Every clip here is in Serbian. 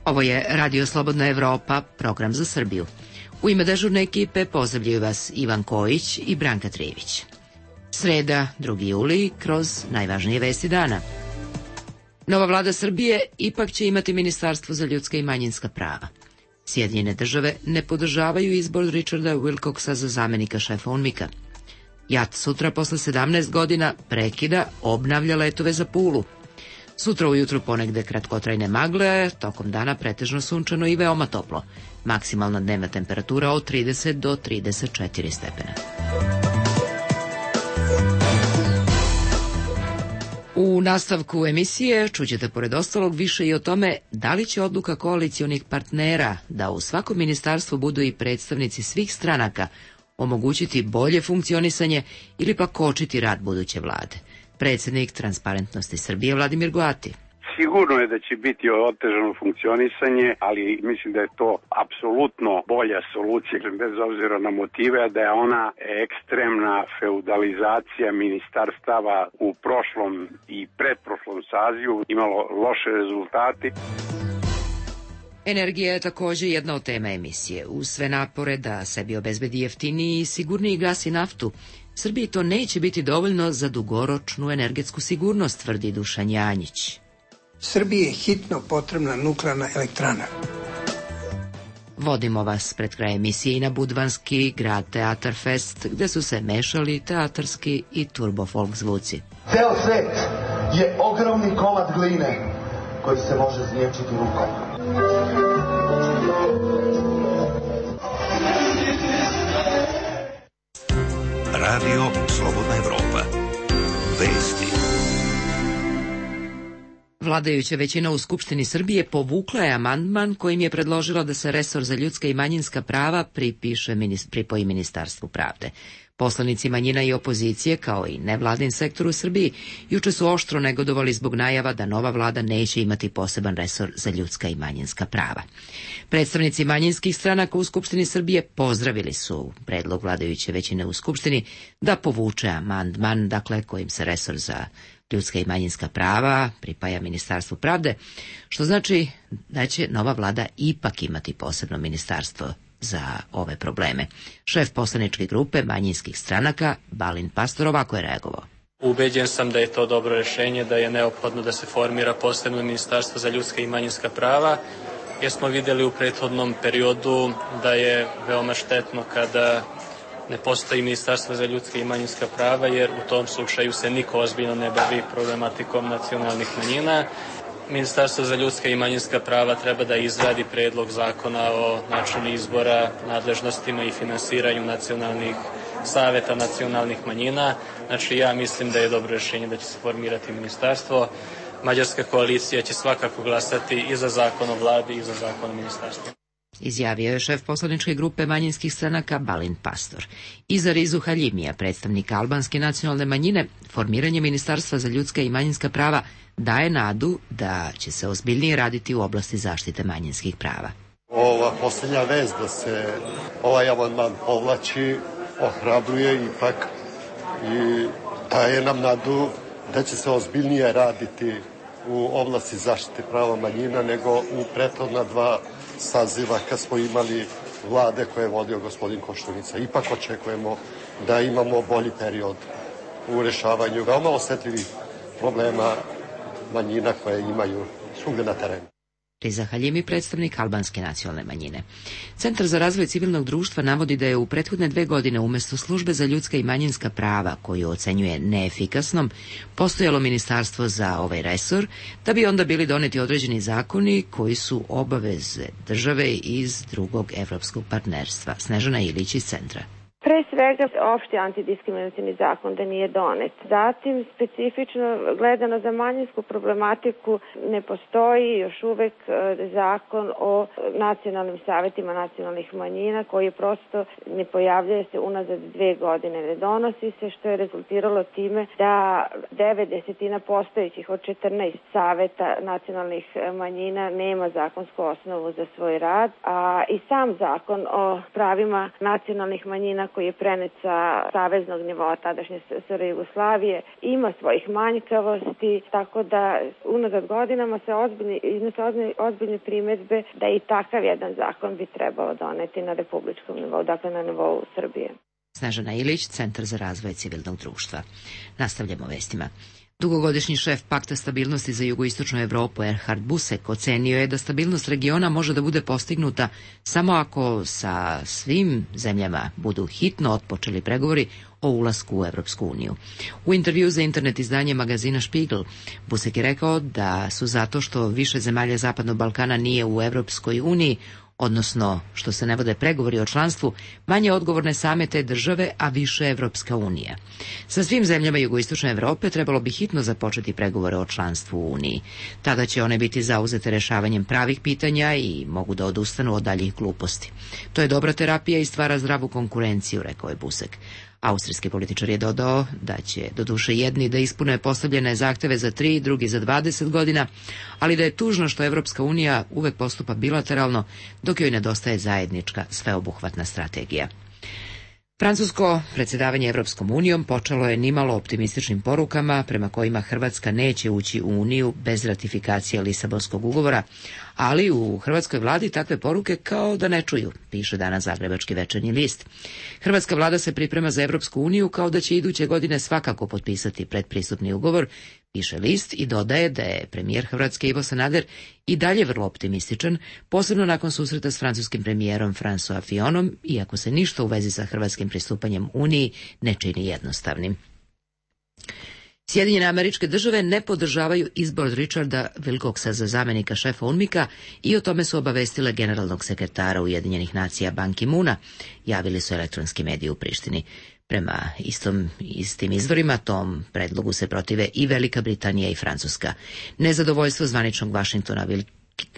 Ovo je Radio Slobodna Evropa, program za Srbiju. U ime dežurne ekipe pozdravljaju vas Ivan Kojić i Branka Trijević. Sreda, 2. juli, kroz najvažnije vesti dana. Nova vlada Srbije ipak će imati Ministarstvo za ljudska i manjinska prava. Sjedinjene države ne podržavaju izbor Richarda Wilcoxa za zamenika šefa UNMIK-a. JAT sutra posle 17 godina prekida, obnavlja letove za Pulu. Sutra ujutru ponegde kratkotrajne magle, tokom dana pretežno sunčano i veoma toplo. Maksimalna dnevna temperatura od 30 do 34 stepena. U nastavku emisije čućete pored ostalog više i o tome da li će odluka koalicionih partnera da u svakom ministarstvu budu i predstavnici svih stranaka omogućiti bolje funkcionisanje ili pa kočiti rad buduće vlade. Predsjednik Transparentnosti Srbije Vladimir Goati. Sigurno je da će biti otežano funkcionisanje, ali mislim da je to apsolutno bolja solucija, bez obzira na motive, da je ona ekstremna feudalizacija ministarstava u prošlom i predprošlom sazivu imalo loše rezultate. Energija je također jedna od tema emisije. Uz sve napore da sebi obezbedi jeftiniji i sigurniji gas i naftu, Srbiji to neće biti dovoljno za dugoročnu energetsku sigurnost, tvrdi Dušan Janjić. Srbiji je hitno potrebna nuklearna elektrana. Vodimo vas pred kraj emisije i na budvanski grad Teatar Fest, gde su se mešali teatarski i turbofolk zvuci. Ceo svet je ogromni komad gline koji se može znječiti rukom. Radio Slobodna Evropa. Vesti. Vladajuća većina u Skupštini Srbije povukla je amandman kojim je predložila da se resor za ljudska i manjinska prava pripoji Ministarstvu pravde. Poslanici manjina i opozicije, kao i nevladin sektor u Srbiji, juče su oštro negodovali zbog najava da nova vlada neće imati poseban resor za ljudska i manjinska prava. Predstavnici manjinskih stranaka u Skupštini Srbije pozdravili su predlog vladajuće većine u Skupštini da povuče amandman, dakle kojim se resor za ljudska i manjinska prava pripaja Ministarstvu pravde, što znači da će nova vlada ipak imati posebno ministarstvo za ove probleme. Šef poslaničke grupe manjinskih stranaka Balint Pastor ovako je reagovao. Ubeđen sam da je to dobro rješenje, da je neophodno da se formira posebno ministarstvo za ljudska i manjinska prava, jer smo vidjeli u prethodnom periodu da je veoma štetno kada ne postoji ministarstvo za ljudska i manjinska prava, jer u tom slučaju se niko ozbiljno ne bavi problematikom nacionalnih manjina. Ministarstvo za ljudska i manjinska prava treba da izradi predlog zakona o načinu izbora, nadležnostima i finansiranju nacionalnih saveta nacionalnih manjina. Znači, ja mislim da je dobro rješenje da će se formirati ministarstvo. Mađarska koalicija će svakako glasati i za zakon o vladi i za zakon o ministarstvu. Izjavio je šef poslaničke grupe manjinskih stranaka Balint Pastor. Iza Rizu Haljimija, predstavnika albanske nacionalne manjine, formiranje Ministarstva za ljudska i manjinska prava daje nadu da će se ozbiljnije raditi u oblasti zaštite manjinskih prava. Ova posljednja vez da se ovaj amandman povlači ohrabruje ipak i daje nam nadu da će se ozbiljnije raditi u oblasti zaštite prava manjina nego u prethodna dva saziva kad smo imali vlade koje je vodio gospodin Koštunica. Ipak očekujemo da imamo bolji period u rješavanju veoma osjetljivih problema manjina koje imaju svugdje na terenu. Riza Haljimi, predstavnik albanske nacionalne manjine. Centar za razvoj civilnog društva navodi da je u prethodne 2 godine umjesto službe za ljudska i manjinska prava, koju ocenjuje neefikasnom, postojalo ministarstvo za ovaj resor, da bi onda bili doneti određeni zakoni koji su obaveze države iz drugog evropskog partnerstva. Snežana Ilić iz centra. Pre svega, opšti antidiskriminacioni zakon da nije donet. Zatim, specifično gledano za manjinsku problematiku ne postoji još uvek zakon o nacionalnim savetima nacionalnih manjina koji prosto ne pojavljuje se unazad 2 godine. Ne donosi se, što je rezultiralo time da 9/10 postojećih od 14 saveta nacionalnih manjina nema zakonsku osnovu za svoj rad, a i sam zakon o pravima nacionalnih manjina koji je prenet sa saveznog nivoa tadašnje SR Jugoslavije, ima svojih manjkavosti, tako da unazad godinama se iznose ozbiljne primedbe da i takav jedan zakon bi trebalo doneti na republičkom nivou, dakle na nivou Srbije. Snežana Ilić, Centar za razvoj civilnog društva. Nastavljamo vestima. Dugogodišnji šef Pakta stabilnosti za jugoistočnu Evropu Erhard Busek ocenio je da stabilnost regiona može da bude postignuta samo ako sa svim zemljama budu hitno otpočeli pregovori o ulasku u Evropsku uniju. U intervju za internet izdanje magazina Spiegel, Busek je rekao da su zato što više zemalja Zapadnog Balkana nije u Evropskoj uniji, odnosno što se ne vode pregovori o članstvu, manje odgovorne same te države, a više Evropska unija. Sa svim zemljama jugoistočne Evrope trebalo bi hitno započeti pregovore o članstvu u Uniji. Tada će one biti zauzete rešavanjem pravih pitanja i mogu da odustanu od daljih gluposti. To je dobra terapija i stvara zdravu konkurenciju, rekao je Busek. Austrijski političar je dodao da će doduše jedni da ispune postavljene zahteve za 3, drugi za 20 godina, ali da je tužno što Evropska unija uvek postupa bilateralno, dok joj nedostaje zajednička sveobuhvatna strategija. Francusko predsjedavanje Evropskom unijom počelo je nimalo optimističnim porukama prema kojima Hrvatska neće ući u Uniju bez ratifikacije Lisabonskog ugovora, ali u hrvatskoj vladi takve poruke kao da ne čuju, piše danas Zagrebački večernji list. Hrvatska vlada se priprema za Evropsku uniju kao da će iduće godine svakako potpisati predpristupni ugovor, piše list i dodaje da je premijer Hrvatske Ivo Sanader i dalje vrlo optimističan, posebno nakon susreta s francuskim premijerom François Fillonom, iako se ništa u vezi sa hrvatskim pristupanjem Uniji ne čini jednostavnim. Sjedinjene Američke Države ne podržavaju izbor Richarda Wilcoxa za zamenika šefa UNMIK-a i o tome su obavestile generalnog sekretara Ujedinjenih nacija Ban Ki-moona, javili su elektronski mediji u Prištini. Prema istim izvorima tom predlogu se protive i Velika Britanija i Francuska. Nezadovoljstvo zvaničnog Vašingtona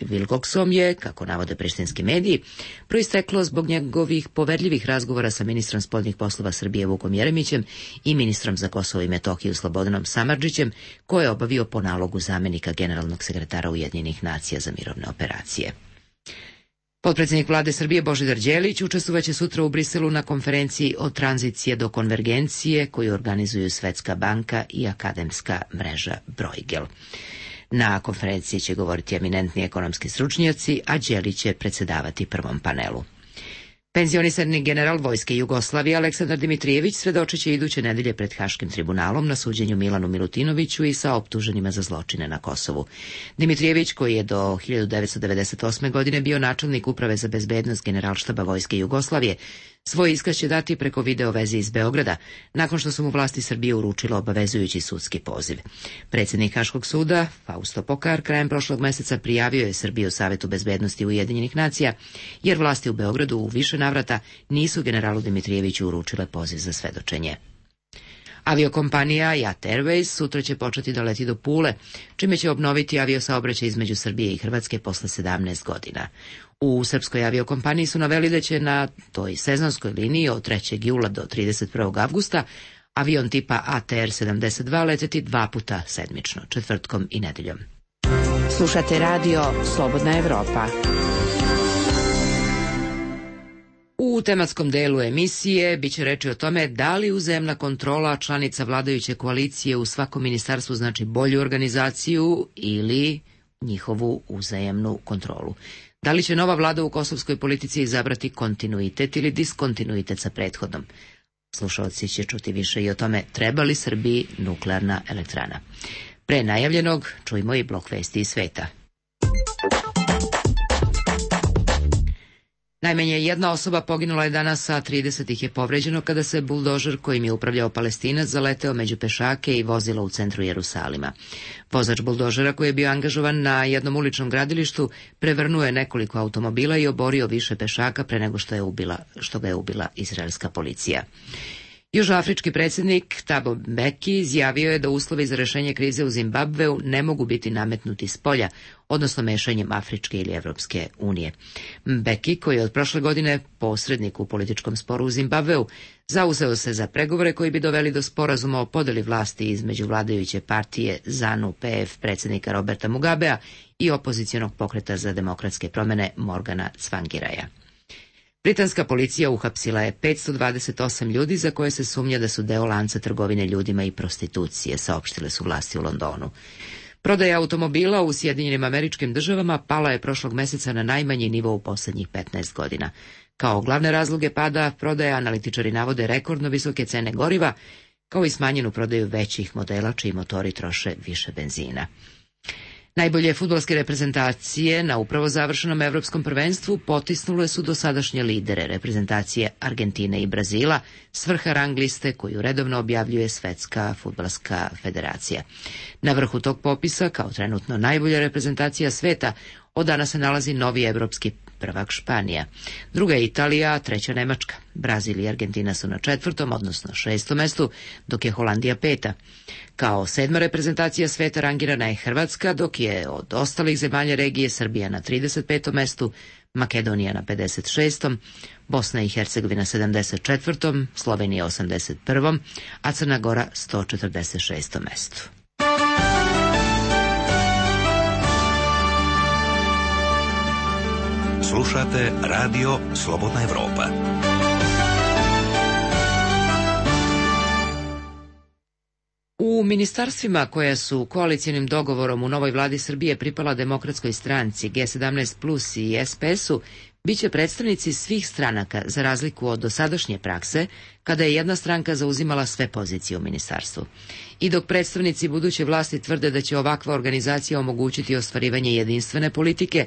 Wilcoxom je, kako navode prištinski mediji, proisteklo zbog njegovih poverljivih razgovora sa ministrom spoljnih poslova Srbije Vukom Jeremićem i ministrom za Kosovo i Metohiju Slobodanom Samardžićem, koje je obavio po nalogu zamenika generalnog sekretara Ujedinjenih nacija za mirovne operacije. Potpredsjednik vlade Srbije Božidar Đelić učestvovaće sutra u Briselu na konferenciji od tranzicije do konvergencije koju organizuju Svetska banka i akademska mreža Bruegel. Na konferenciji će govoriti eminentni ekonomski stručnjaci, a Đelić će predsjedavati prvom panelu. Penzionisani general Vojske Jugoslavije Aleksandar Dimitrijević svedočit će iduće nedelje pred Haškim tribunalom na suđenju Milanu Milutinoviću i sa optuženima za zločine na Kosovu. Dimitrijević, koji je do 1998. godine bio načelnik Uprave za bezbednost Generalštaba Vojske Jugoslavije, svoj iskaz će dati preko video veze iz Beograda, nakon što su mu vlasti Srbije uručile obavezujući sudski poziv. Predsjednik Haškog suda, Fausto Pokar, krajem prošlog meseca prijavio je Srbiju Savetu bezbednosti Ujedinjenih nacija, jer vlasti u Beogradu u više navrata nisu generalu Dimitrijeviću uručile poziv za svedočenje. Aviokompanija JAT Airways sutra će početi da leti do Pule, čime će obnoviti aviosaobraćaj između Srbije i Hrvatske posle 17 godina. U srpskoj aviokompaniji su naveli da će na toj sezonskoj liniji od 3. jula do 31. avgusta avion tipa ATR 72 leteti 2 puta sedmično, četvrtkom i nedeljom. Slušate radio Slobodna Evropa. U tematskom delu emisije biće reči o tome da li uzajamna kontrola članica vladajuće koalicije u svakom ministarstvu znači bolju organizaciju ili njihovu uzajamnu kontrolu. Da li će nova vlada u kosovskoj politici izabrati kontinuitet ili diskontinuitet sa prethodnom? Slušalci će čuti više i o tome treba li Srbiji nuklearna elektrana. Pre najavljenog čujmo i blok vesti iz sveta. Najmanje jedna osoba poginula je danas, a 30 ih je povređeno kada se buldožer kojim je upravljao Palestinac zaleteo među pešake i vozilo u centru Jerusalima. Vozač buldožera, koji je bio angažovan na jednom uličnom gradilištu, prevrnuo je nekoliko automobila i oborio više pešaka pre nego što ga je ubila izraelska policija. Južnoafrički predsjednik Thabo Mbeki izjavio je da uslovi za rešenje krize u Zimbabveu ne mogu biti nametnuti s polja, odnosno mešanjem Afričke ili Evropske unije. Mbeki, koji je od prošle godine posrednik u političkom sporu u Zimbabveu, zauzeo se za pregovore koji bi doveli do sporazuma o podeli vlasti između vladajuće partije ZANU-PF predsjednika Roberta Mugabea i opozicionog pokreta za demokratske promjene Morgana Tsvangiraja. Britanska policija uhapsila je 528 ljudi za koje se sumnja da su deo lanca trgovine ljudima i prostitucije, saopštile su vlasti u Londonu. Prodaja automobila u Sjedinjenim Američkim Državama pala je prošlog meseca na najmanji nivo u poslednjih 15 godina. Kao glavne razloge pada prodaja analitičari navode rekordno visoke cene goriva, kao i smanjenu prodaju većih modela čiji motori troše više benzina. Najbolje fudbalske reprezentacije na upravo završenom evropskom prvenstvu potisnule su dosadašnje lidere reprezentacije Argentine i Brazila s vrha rang liste koju redovno objavljuje Svetska fudbalska federacija. Na vrhu tog popisa, kao trenutno najbolja reprezentacija sveta, od danas se nalazi novi evropski prvak Španija. Druga je Italija, a treća Nemačka. Brazil i Argentina su na 4., odnosno 6. mestu, dok je Holandija 5. Kao 7. reprezentacija sveta rangirana je Hrvatska, dok je od ostalih zemalja regije Srbija na 35. mestu, Makedonija na 56., Bosna i Hercegovina 74., Slovenija 81., a Crna Gora 146. mestu. Slušate Radio Slobodna Evropa. U ministarstvima koja su koalicionim dogovorom u novoj vladi Srbije pripala Demokratskoj stranci, G17 Plus i SPS-u, biće predstavnici svih stranaka za razliku od dosadašnje prakse, kada je jedna stranka zauzimala sve pozicije u ministarstvu. I dok predstavnici buduće vlasti tvrde da će ovakva organizacija omogućiti ostvarivanje jedinstvene politike,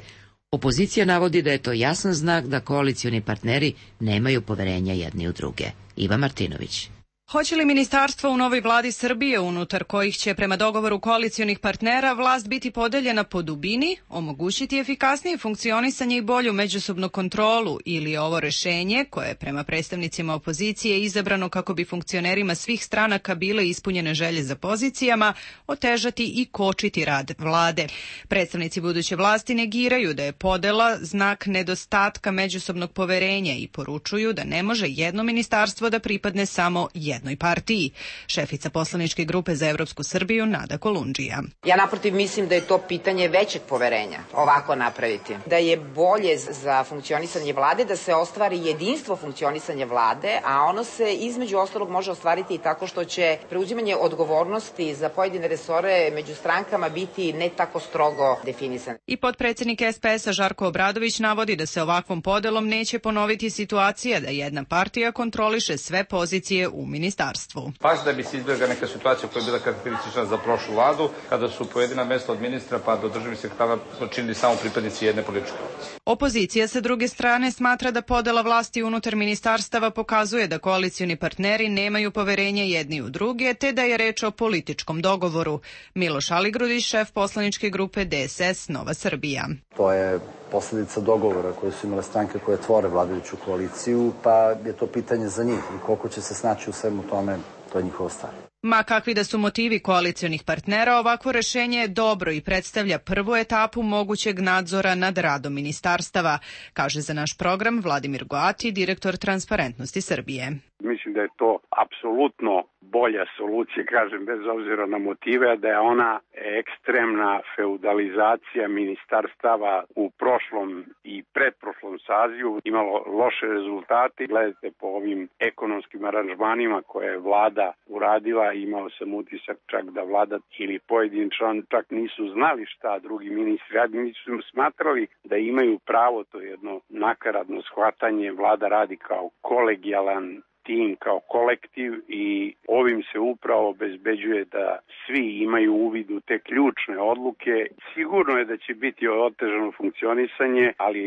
opozicija navodi da je to jasan znak da koalicioni partneri nemaju poverenja jedni u druge. Iva Martinović. Hoće li ministarstvo u novoj vladi Srbije, unutar kojih će prema dogovoru koalicionih partnera vlast biti podeljena po dubini, omogućiti efikasnije funkcionisanje i bolju međusobnu kontrolu, ili je ovo rešenje, koje je prema predstavnicima opozicije izabrano kako bi funkcionerima svih stranaka bile ispunjene želje za pozicijama, otežati i kočiti rad vlade? Predstavnici buduće vlasti negiraju da je podela znak nedostatka međusobnog poverenja i poručuju da ne može jedno ministarstvo da pripadne samo jednoj partiji. Šefica poslaničke grupe za Evropsku Srbiju Nada Kolundžija. Ja naprotiv mislim da je to pitanje većeg poverenja ovako napraviti. Da je bolje za funkcionisanje vlade da se ostvari jedinstvo funkcionisanja vlade, a ono se između ostalog može ostvariti i tako što će preuzimanje odgovornosti za pojedine resore među strankama biti ne tako strogo definisan. I potpredsednik SPS-a Žarko Obradović navodi da se ovakvom podelom neće ponoviti situacija da jedna partija kontroliše sve pozicije u ministarstvu. Baš da bi se izbjegla neka situacija koja je bila karakteristična za prošlu vladu, kada su pojedina mesta od ministra pa do državnih sekretara počinili samo pripadnici jedne političke opcije. Opozicija sa druge strane smatra da podela vlasti unutar ministarstava pokazuje da koalicioni partneri nemaju poverenje jedni u druge, te da je reč o političkom dogovoru. Miloš Aligrudić, šef poslaničke grupe DSS Nova Srbija. To je posledica dogovora koje su imale stranke koje tvore vladajuću koaliciju, pa je to pitanje za njih i koliko će se snaći u svemu tome, to je njihova stvar. Ma kakvi da su motivi koalicionih partnera, ovakvo rešenje je dobro i predstavlja prvu etapu mogućeg nadzora nad radom ministarstava, kaže za naš program Vladimir Goati, direktor Transparentnosti Srbije. Mislim da je to apsolutno bolja solucija, kažem, bez obzira na motive, da je ona ekstremna feudalizacija ministarstava u prošlom i predprošlom sazivu imalo loše rezultate. Gledajte po ovim ekonomskim aranžmanima koje je vlada uradila, imao sam utisak čak da vlada ili pojedin član čak nisu znali šta drugi ministri radi, nisu smatrali da imaju pravo, to je jedno nakaradno shvatanje, vlada radi kao kolegijalan tim, kao kolektiv i ovim se upravo obezbeđuje da svi imaju uvid u te ključne odluke. Sigurno je da će biti otežano funkcionisanje, ali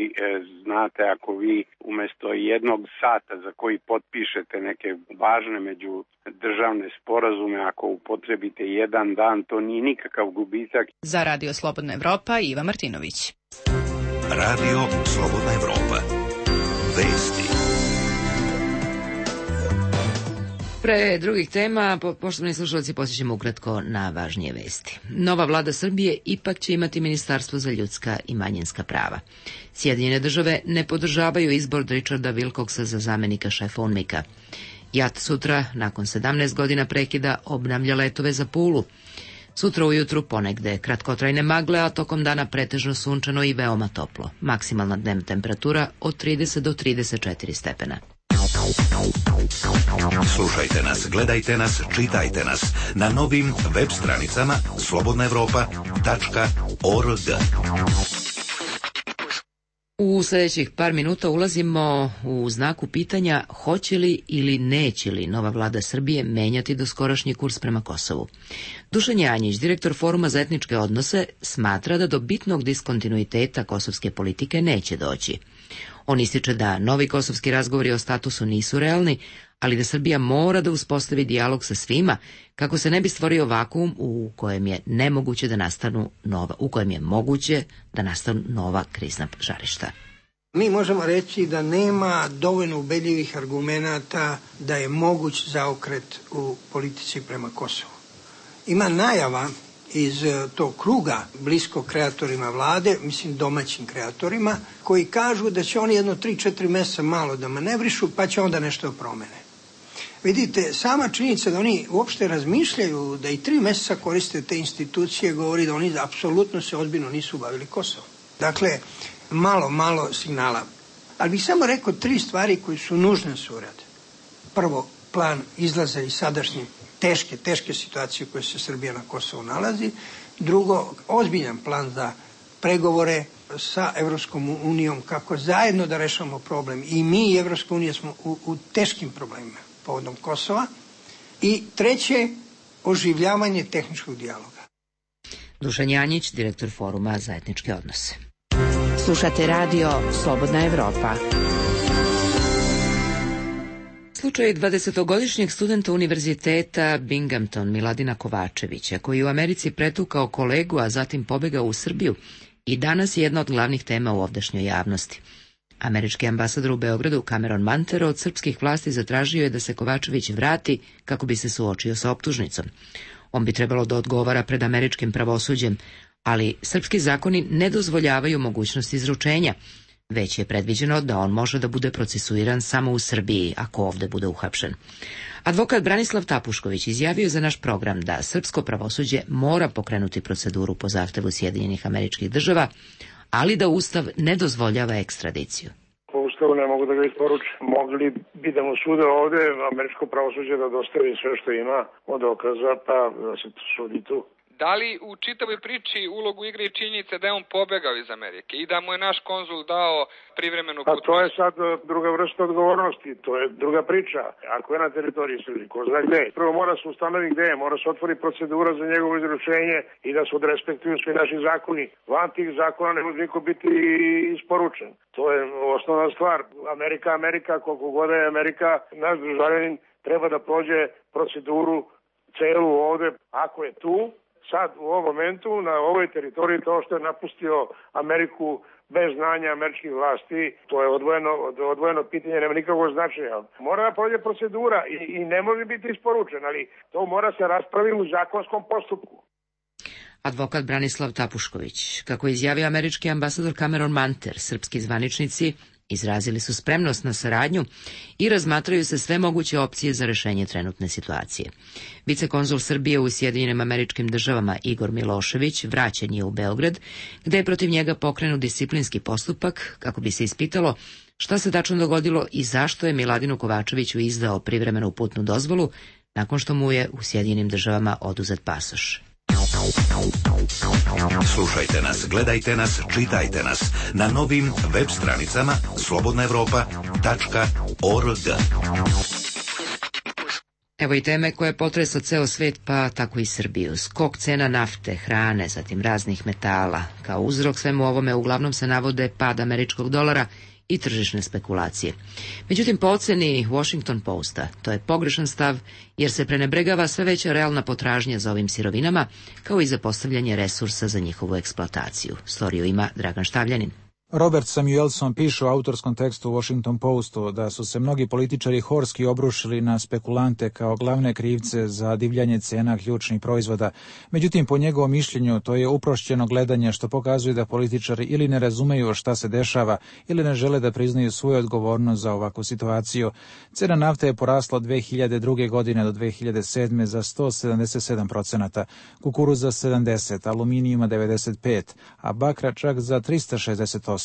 znate, ako vi umesto jednog sata za koji potpišete neke važne međudržavne sporazume, ako upotrebite jedan dan, to nije nikakav gubitak. Za Radio Slobodna Evropa, Iva Martinović. Radio Slobodna Evropa. Vesti. Pre drugih tema, poštovani slušalci, posjećamo ukratko na važnije vesti. Nova vlada Srbije ipak će imati Ministarstvo za ljudska i manjinska prava. Sjedinjene države ne podržavaju izbor Richarda Wilcoxa za zamenika šefa UNMIK-a. JAT sutra, nakon 17 godina prekida, obnavlja letove za Pulu. Sutra ujutru ponegde kratkotrajne magle, a tokom dana pretežno sunčano i veoma toplo. Maksimalna dnevna temperatura od 30 do 34 stepena. Slušajte nas, gledajte nas, čitajte nas na novim web stranicama slobodnaevropa.org. U sljedećih par minuta ulazimo u znaku pitanja hoće li ili neće li nova vlada Srbije menjati doskorašnji kurs prema Kosovu. Dušan Janjić, direktor Foruma za etničke odnose, smatra da do bitnog diskontinuiteta kosovske politike neće doći. On ističe da novi kosovski razgovori o statusu nisu realni, ali da Srbija mora da uspostavi dijalog sa svima kako se ne bi stvorio vakuum u kojem je moguće da nastanu nova krizna žarišta. Mi možemo reći da nema dovoljno ubedljivih argumenata da je moguć zaokret u politici prema Kosovu. Ima najava iz tog kruga blisko kreatorima vlade, mislim domaćim kreatorima, koji kažu da će oni jedno 3-4 mjeseca malo da manevrišu, pa će onda nešto promene. Vidite, sama činjenica da oni uopšte razmišljaju da i 3 mjeseca koriste te institucije govori da oni apsolutno se ozbiljno nisu bavili Kosovom. Dakle, malo signala. Ali bih samo rekao 3 stvari koje su nužne su urade. Prvo, plan izlaza iz sadašnje teške situacije u kojoj se Srbija na Kosovu nalazi. Drugo, ozbiljan plan za pregovore sa Evropskom unijom kako zajedno da rešavamo problem. I mi i Evropska unija smo u teškim problemima povodom Kosova. I treće, oživljavanje tehničkog dijaloga. Dušan Janjić, direktor Foruma za etničke odnose. Slušate radio Slobodna Evropa. Slučaj 20-godišnjeg studenta univerziteta Binghamton Miladina Kovačevića, koji je u Americi pretukao kolegu, a zatim pobegao u Srbiju, i danas je jedna od glavnih tema u ovdašnjoj javnosti. Američki ambasador u Beogradu Cameron Manter od srpskih vlasti zatražio je da se Kovačević vrati kako bi se suočio sa optužnicom. On bi trebalo da odgovara pred američkim pravosuđem, ali srpski zakoni ne dozvoljavaju mogućnost izručenja, već je predviđeno da on može da bude procesuiran samo u Srbiji ako ovde bude uhapšen. Advokat Branislav Tapušković izjavio je za naš program da srpsko pravosuđe mora pokrenuti proceduru po zahtevu Sjedinjenih Američkih Država, ali da Ustav ne dozvoljava ekstradiciju. Po Ustavu ne mogu da ga isporuče. Mogli bi da mu sude ovde američko pravosuđe da dostavi sve što ima od dokaza, pa da se sudi tu. Da li u čitavoj priči ulogu igra i činjenica da je on pobegao iz Amerike i da mu je naš konzul dao privremenu putnu? Pa to je sad druga vrsta odgovornosti, to je druga priča. Ako je na teritoriji Srbije, ko zna gde. Prvo mora se ustanoviti gde je, mora se otvori procedura za njegovo izručenje i da se odrespektuju svi naši zakoni. Van tih zakona ne može niko biti isporučen. To je osnovna stvar. Amerika, koliko god je Amerika, naš državljanin treba da prođe proceduru celu ovde, ako je tu. Sad, u ovom momentu, na ovoj teritoriji, to što je napustio Ameriku bez znanja američkih vlasti, to je odvojeno pitanje, nema nikakvog značaja. Mora da prođe procedura i ne može biti isporučen, ali to mora se raspraviti u zakonskom postupku. Advokat Branislav Tapušković. Kako je izjavio američki ambasador Cameron Manter, srpski zvaničnici izrazili su spremnost na saradnju i razmatraju se sve moguće opcije za rešenje trenutne situacije. Vicekonzul Srbije u Sjedinjenim Američkim Državama Igor Milošević vraćen je u Beograd, gde je protiv njega pokrenut disciplinski postupak kako bi se ispitalo šta se tačno dogodilo i zašto je Miladinu Kovačeviću izdao privremenu putnu dozvolu nakon što mu je u Sjedinjenim Državama oduzet pasoš. Slušajte nas, gledajte nas, čitajte nas na novim web stranicama slobodnaevropa.org. Evo i teme koje potresa ceo svet, pa tako i Srbiju. Skok cena nafte, hrane, zatim raznih metala. Kao uzrok svemu ovome uglavnom se navode pad američkog dolara i tržišne spekulacije. Međutim, po oceni Washington Posta, to je pogrešan stav, jer se prenebregava sve veća realna potražnja za ovim sirovinama, kao i za postavljanje resursa za njihovu eksploataciju. Storiju ima Dragan Štavljanin. Robert Samuelson piše u autorskom tekstu u Washington Postu da su se mnogi političari horski obrušili na spekulante kao glavne krivce za divljanje cena ključnih proizvoda. Međutim, po njegovom mišljenju, to je uprošćeno gledanje što pokazuje da političari ili ne razumeju šta se dešava ili ne žele da priznaju svoju odgovornost za ovakvu situaciju. Cena nafte je porasla od 2002. godine do 2007. za 177%, kukuruza 70%, aluminijuma 95%, a bakra čak za 360%.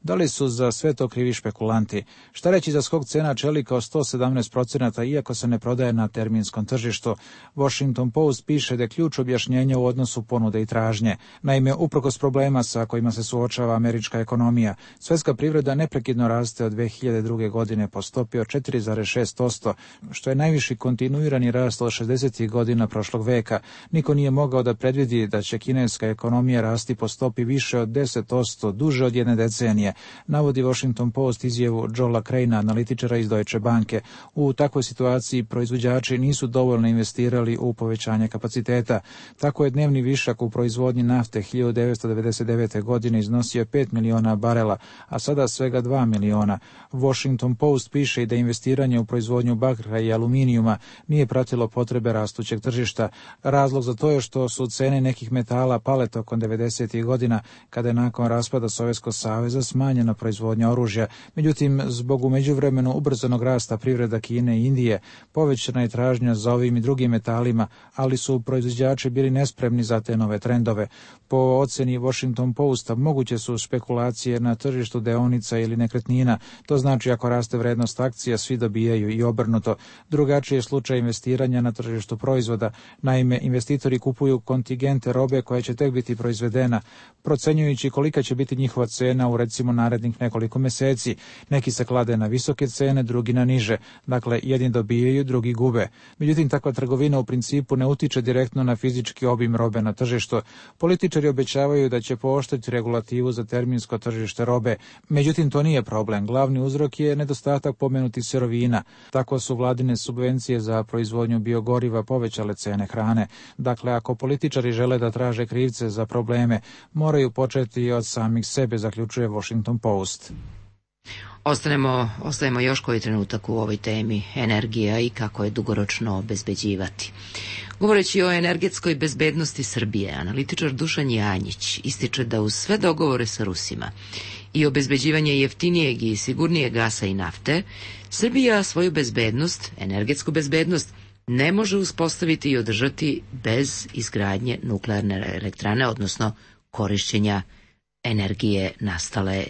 Da li su za sve to krivi špekulanti? Šta reći za skok cena čelika od 117%, iako se ne prodaje na terminskom tržištu? Washington Post piše da je ključ objašnjenja u odnosu ponude i tražnje. Naime, uprkos problema sa kojima se suočava američka ekonomija, svetska privreda neprekidno raste od 2002. godine po stopi od 4,6%, što je najviši kontinuirani rast od 60. godina prošlog veka. Niko nije mogao da predvidi da će kineska ekonomija rasti po stopi više od 10% duže od jedne decenije, navodi Washington Post izjavu Joela Craina, analitičara iz Deutsche Banke. U takvoj situaciji proizvođači nisu dovoljno investirali u povećanje kapaciteta. Tako je dnevni višak u proizvodnji nafte 1999. godine iznosio 5 miliona barela, a sada svega 2 miliona. Washington Post piše i da investiranje u proizvodnju bakra i aluminijuma nije pratilo potrebe rastućeg tržišta. Razlog za to je što su cene nekih metala pale tokom 90. godina, kada je nakon raspada Sovjetskog saveza smanjena proizvodnja oružja. Međutim, zbog u međuvremenu ubrzanog rasta privreda Kine i Indije, povećana je tražnja za ovim i drugim metalima, ali su proizvođači bili nespremni za te nove trendove. Po oceni Washington Posta, moguće su špekulacije na tržištu deonica ili nekretnina. To znači ako raste vrednost akcija, svi dobijaju i obrnuto. Drugačiji je slučaj investiranja na tržištu proizvoda. Naime, investitori kupuju kontingente robe koja će tek biti proizvedena, procenjujući kolika će biti njihova cena u recimo narednih nekoliko meseci. Neki se klade na visoke cene, drugi na niže. Dakle, jedni dobijaju, drugi gube. Međutim, takva trgovina u principu ne utiče direktno na fizički obim robe na tržištu. Političari obećavaju da će pooštriti regulativu za terminsko tržište robe. Međutim, to nije problem. Glavni uzrok je nedostatak pomenutih sirovina. Tako su vladine subvencije za proizvodnju biogoriva povećale cene hrane. Dakle, ako političari žele da traže krivce za probleme, moraju početi od samih sebe, zaključuje Washington Post. Ostajemo još koji trenutak u ovoj temi energija i kako je dugoročno obezbeđivati. Govoreći o energetskoj bezbednosti Srbije, analitičar Dušan Janjić ističe da uz sve dogovore sa Rusima i obezbeđivanje jeftinijeg i sigurnijeg gasa i nafte, Srbija svoju bezbednost, energetsku bezbednost, ne može uspostaviti i održati bez izgradnje nuklearne elektrane, odnosno korišćenja energije nastale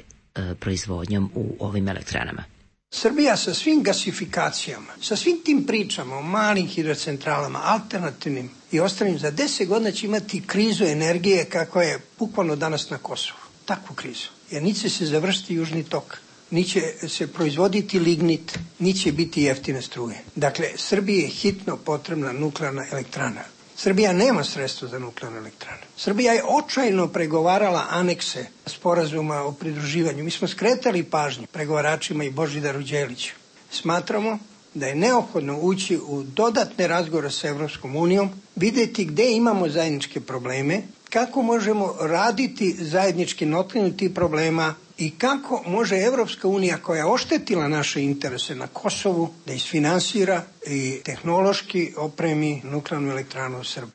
proizvodnjom u ovim elektranama. Srbija sa svim gasifikacijama, sa svim tim pričama o malim hidrocentralama, alternativnim i ostalim, za 10 godina će imati krizu energije kako je bukvalno danas na Kosovu. Takvu krizu. Jer ni će se završiti južni tok, ni će se proizvoditi lignit, ni će biti jeftine struje. Dakle, Srbiji je hitno potrebna nuklearna elektrana. Srbija nema sredstva za nuklearne elektrane. Srbija je očajno pregovarala anekse sporazuma o pridruživanju. Mi smo skretali pažnju pregovaračima i Božidaru Đeliću. Smatramo da je neophodno ući u dodatne razgovore sa Evropskom unijom, vidjeti gde imamo zajedničke probleme, kako možemo raditi zajednički na otklanjanju tih problema i kako može Evropska unija, koja je oštetila naše interese na Kosovu, da isfinansira i tehnološki opremi nuklearnu elektranu u Srbiji.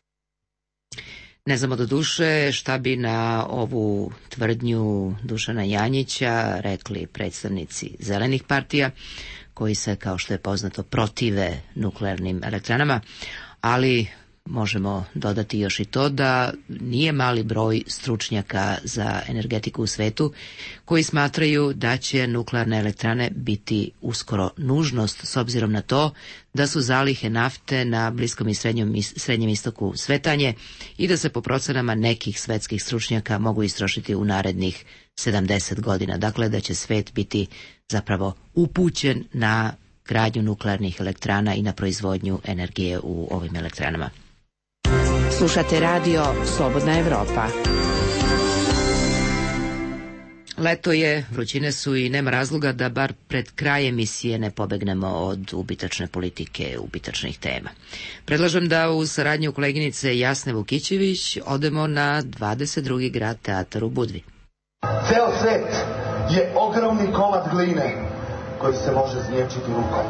Ne znamo do duše šta bi na ovu tvrdnju Dušana Janjića rekli predstavnici zelenih partija, koji se, kao što je poznato, protive nuklearnim elektranama, ali možemo dodati još i to da nije mali broj stručnjaka za energetiku u svetu koji smatraju da će nuklearne elektrane biti uskoro nužnost, s obzirom na to da su zalihe nafte na Bliskom i Srednjem istoku svetanje i da se po procenama nekih svetskih stručnjaka mogu istrošiti u narednih 70 godina. Dakle, da će svet biti zapravo upućen na gradnju nuklearnih elektrana i na proizvodnju energije u ovim elektranama. Slušate radio Slobodna Evropa. Leto je, vrućine su i nema razloga da bar pred kraj emisije ne pobegnemo od ubitačne politike, ubitačnih tema. Predlažem da u saradnju koleginice Jasne Vukićević odemo na 22. grad teatar u Budvi. Ceo svet je ogromni komad gline koji se može znječiti rukom.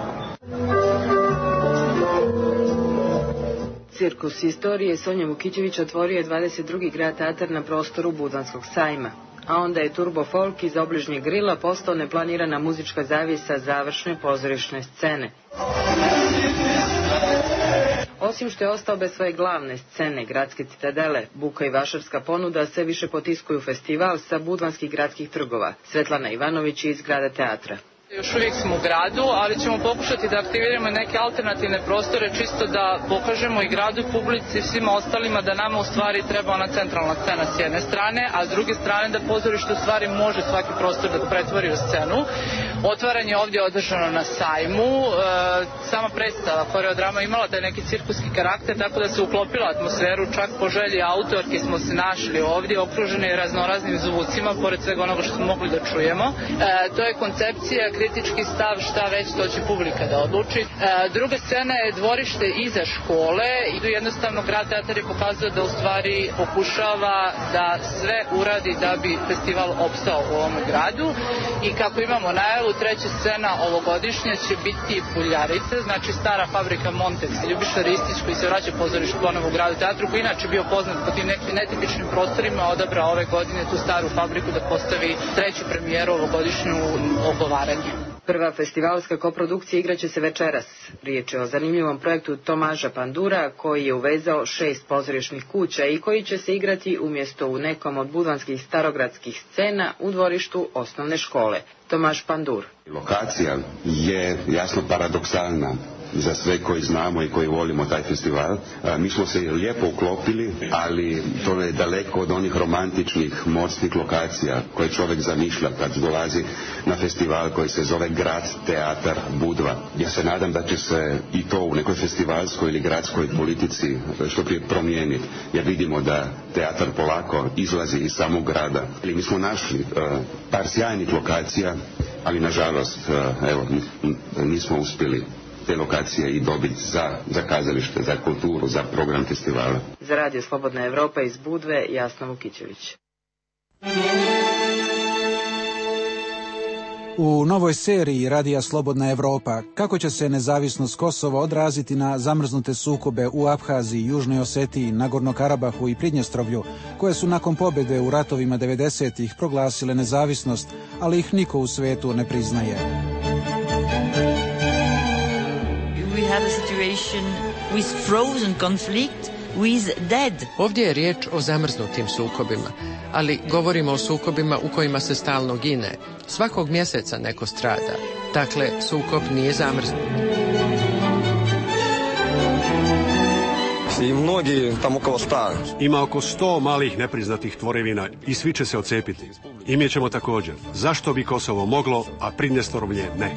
Cirkus istorije Sonja Vukićević otvorio je 22. grad teatar na prostoru Budvanskog sajma. A onda je Turbo Folk iz obližnjeg grila postao neplanirana muzička zavisa završne pozorišne scene. Osim što je ostao bez svoje glavne scene, gradske citadele, buka i vašarska ponuda sve više potiskuju festival sa budvanskih gradskih trgova. Svetlana Ivanović iz grada teatra. Još uvijek smo u gradu, ali ćemo pokušati da aktiviramo neke alternativne prostore, čisto da pokažemo i gradu, publici i svima ostalima da nama u stvari treba ona centralna scena s jedne strane, a s druge strane da pozorište u stvari može svaki prostor da pretvori u scenu. Otvaranje je ovdje održano na sajmu, sama predstava koreodrama imala taj neki cirkuski karakter, tako da se uklopila atmosferu, čak po želji autorke smo se našli ovdje, okruženi raznoraznim zvucima, pored svega onoga što smo mogli da čujemo. To je koncepcija, kritički stav, šta već, to će publika da odluči. Druga scena je dvorište iza škole i tu jednostavno grad teatar je pokazao da u stvari pokušava da sve uradi da bi festival opstao u ovom gradu i kako imamo najavu, treća scena ovogodišnja će biti Buljarice, znači stara fabrika Montex i Ljubiša Ristić koji se vraća pozorištu ponovo u gradu teatru, koji inače bio poznat po tim nekim netipičnim prostorima, odabrao ove godine tu staru fabriku da postavi treću premijeru ovogodišnju Ogovaranje. Prva festivalska koprodukcija igraće se večeras. Riječ je o zanimljivom projektu Tomaža Pandura koji je uvezao 6 pozorišnih kuća i koji će se igrati umjesto u nekom od budvanskih starogradskih scena u dvorištu osnovne škole. Tomaž Pandur. Lokacija je jasno paradoksalna za sve koji znamo i koji volimo taj festival. Mi smo se lijepo uklopili, ali to je daleko od onih romantičnih morskih lokacija koje čovjek zamišlja kad dolazi na festival koji se zove Grad teatar Budva. Ja se nadam da će se i to u nekoj festivalskoj ili gradskoj politici što prije promijeniti, jer vidimo da teatar polako izlazi iz samog grada. Mi smo našli par sjajnih lokacija, ali nažalost nismo uspjeli te lokacije i dobiti za kazalište, za kulturu, za program festivala. Za Radio Slobodna Evropa iz Budve, Jasna Vukićević. U novoj seriji Radija Slobodna Evropa kako će se nezavisnost Kosova odraziti na zamrznute sukobe u Abhaziji, Južnoj Osetiji, Nagorno Karabahu i Pridnjestrovlju, koje su nakon pobjede u ratovima 90-ih proglasile nezavisnost, ali ih niko u svetu ne priznaje. We have a situation with frozen conflict with dead. Ovdje je riječ o zamrznutim sukobima, ali govorimo o sukobima u kojima se stalno gine. Svakog mjeseca neko strada. Dakle, sukob nije zamrznut. I mnogi, tamo oko 100. Ima oko 100 malih nepriznatih tvorevina i svi će se odcepiti. I mi ćemo također. Zašto bi Kosovo moglo, a Pridnjestrovlje ne?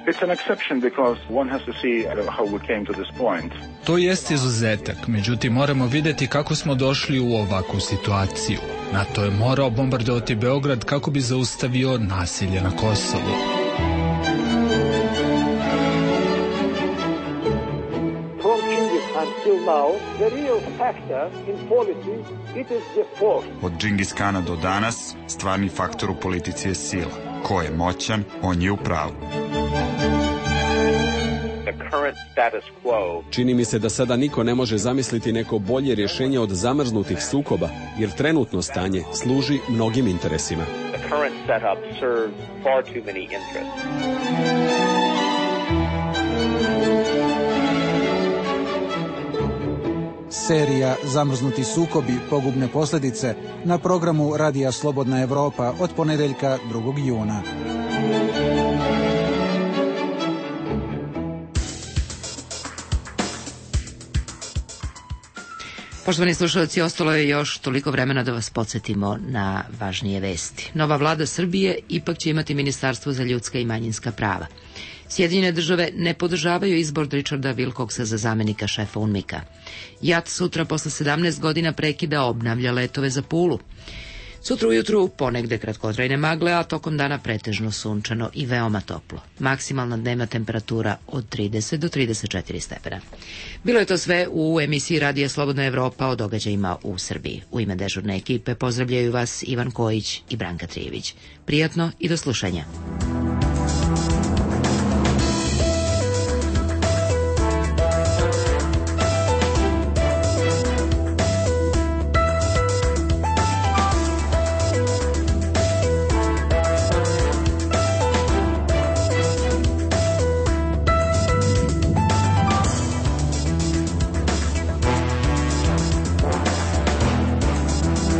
It's an exception because one has to see how we came to this point. To jest izuzetak, međutim moramo vidjeti kako smo došli u ovakvu situaciju. NATO je morao bombardovati Beograd kako bi zaustavio nasilje na Kosovu. From Genghis until now, the real factor in policy, it is the force. Od Džingis Kana do danas, stvarni faktor u politici je sila. Ko je moćan, on je u pravu. Čini mi se da sada niko ne može zamisliti neko bolje rješenje od zamrznutih sukoba, jer trenutno stanje služi mnogim interesima. Serija Zamrznuti sukobi, pogubne posljedice na programu Radija Slobodna Evropa od ponedjeljka 2. juna. Poštovani slušalci, ostalo je još toliko vremena da vas podsjetimo na važnije vesti. Nova vlada Srbije ipak će imati Ministarstvo za ljudska i manjinska prava. Sjedinjene države ne podržavaju izbor Richarda Wilcoxa za zamenika šefa UNMIK-a. JAT sutra posle 17 godina prekida obnavlja letove za Pulu. Sutra ujutru ponegde kratkotrajne magle, a tokom dana pretežno sunčano i veoma toplo. Maksimalna dnevna temperatura od 30 do 34 stepena. Bilo je to sve u emisiji Radija Slobodna Evropa o događajima u Srbiji. U ime dežurne ekipe pozdravljaju vas Ivan Kojić i Branka Trijević. Prijatno i do slušanja.